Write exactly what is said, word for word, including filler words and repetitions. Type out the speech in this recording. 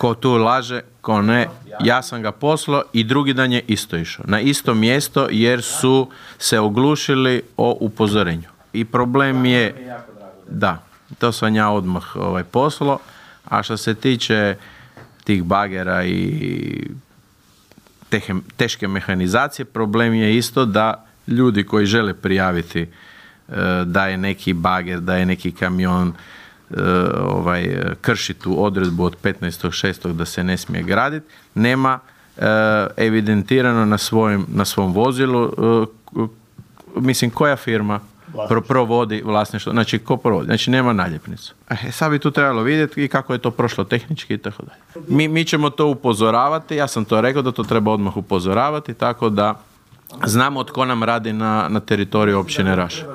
ko tu laže, ko ne, ja sam ga poslao i drugi dan je isto išao. Na isto mjesto jer su se oglušili o upozorenju. I problem je, da, to sam ja odmah ovaj, poslao, a što se tiče tih bagera i tehe, teške mehanizacije, problem je isto da ljudi koji žele prijaviti uh, da je neki bager, da je neki kamion uh, ovaj, krši tu odredbu od petnaestog šestog da se ne smije graditi, nema uh, evidentirano na, svojim, na svom vozilu, uh, mislim koja firma Pro, provodi vlasništvo, znači ko provodi, znači nema naljepnicu. E, sad bi tu trebalo vidjeti i kako je to prošlo tehnički i tako dalje. Mi, mi ćemo to upozoravati, ja sam to rekao da to treba odmah upozoravati, tako da znamo tko nam radi na, na teritoriju općine Raša.